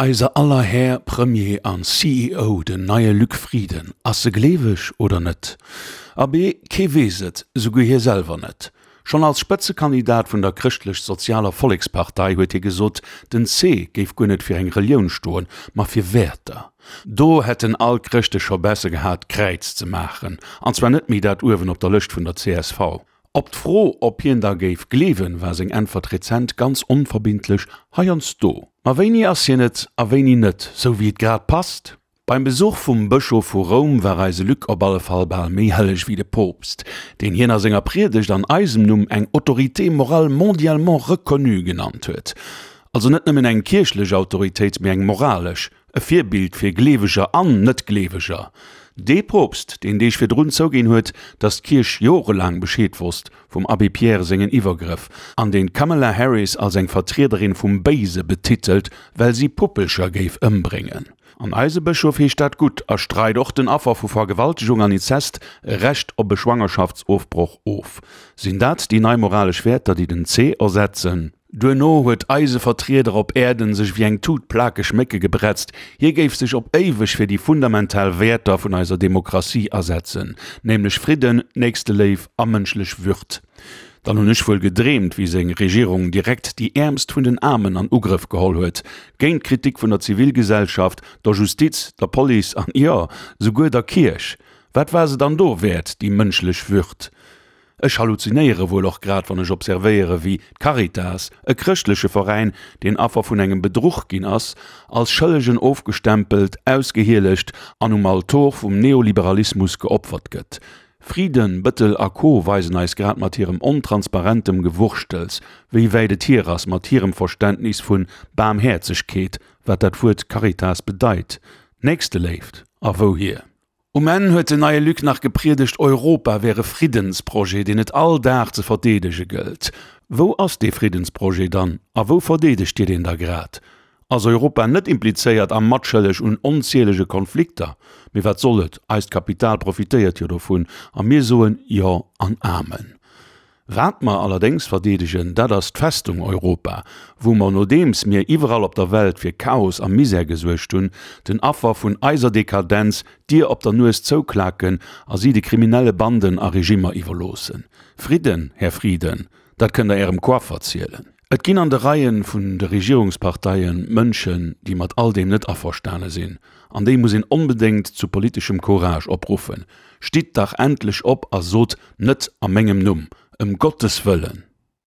Eiser aller Här Premier an CEO, den neie Luc Frieden, ass e gleeweg oder net? Abee, kee weess et, souguer hie selwer net. Schonn als Spëtzekandidat vun der Chrëschtlech-Sozialer Vollekspartei huet hie gesot, den C géif guer net fir eng Relioun stoen, ma fir Wäerter. Do hätten all d'Chrëschte scho besse gehat, d'Kräiz ze maachen, an zwar net méi dat uewen op der Lëscht vun der csv. Op d'Fro, ob hien da géif gleewen, war seng Äntwert rezent ganz onverbindlech, Heiansdo. Ma wéini ass hien et a wéini net, sou wéi et grad passt? Beim Besuch vum Bëschof vu Roum war eise Luc op alle Fall bal méi helleg wéi de Poopst, deen hien a senger Priedegt an eisem Numm eng Autorité morale mondialement reconnue genannt huet. Also net nëmmen eng kierchlech Autoritéit, mee eng moralesch, e Virbild fir Gleeweger an Net-Gleeweger. Dee Poopst, deen Deeg virdrun zouginn huet, datt d'Kierch jorelaang Bescheed wosst vum Abbé Pierre sengen Iwwergrëff, an deen d'Kamala Harris als eng Vertriederin vum Béise betitelt, well si Puppelcher géif ëmbréngen. An eise Bëschof heescht dat gutt a streit och den Affer vu Vergewaltegung an Inzest e Recht op e Schwangerschaftsofbroch of. Sinn dat déi nei moralesch Wäerter, déi den C ersetzen? Duerno huet eise Vertrieder op Äerden sech wéi eng Tut plakeg Mécke gebretzt, hie géif sech op éiweg fir déi fundamental Wäerter vun eiser Demokratie asetzen, nämlech Fridden, Nächsteléif a mënschlech Würd. Dann hunn ech wuel gedreemt, wéi seng Regierung direkt déi Äermst vun den Aarmen an Ugrëff geholl huet, géint d'Kritik vun der Zivilgesellschaft, der Justiz, der Police an, jo, souguer der Kierch. Wat war se dann do wäert, déi mënschlech Würd? Ech halluzinéiere wuel och grad, wann ech observéiere wéi d'Caritas, e chrëschtleche Veräin, deen Affer vun engem Bedruch ginn ass, als Schëllegen ofgestempelt, ausgehielegt an um Altor vum Neoliberalismus geopfert gëtt. Frieden, Bëttel a Co weisen eis grad mat hirem ontransparentem Gewurschtels, wéi wäit et hier ass mat hirem Verständnis vun Baarmhäerzegkeet, wat dat Wuert Caritas bedeit, Nächsteléift a wouhier. Um Enn huet den neie Luc nach gepriedegt, Europa wär e Friddensprojet, deen et all Dag ze verdeedege gëllt. Wou ass dee Friddensprojet dann a wou verdeedegt Dir deen da grad? Ass Europa net implizéiert a matschëlleg un onzielege Konflikter? Mee wat soll et, eist Kapital profitéiert jo dovun a mir soen Jo an Amen. Wat mer allerdéngs verdeedegen, dat ass d'Festung Europa, wou mer, nodeems mir iwwerall op der Welt fir Chaos a Misär gesuergt hunn, den Affer vun eiser Dekadenz d'Dier op der Nues zouklaken a si de kriminelle Banden a Regimmer iwwerloossen. Fridden, Här Frieden, dat kënnt der Ärem Coiffer zielen. Et ginn an de Reien vun de Regierungsparteien Mënschen, déi mat all deem net averstane sinn, an déi muss een onbedéngt zu politeschem Courage opruffen, Stitt dach endlech op a sot, Net a mengem Numm, ëm Gottes wëllen!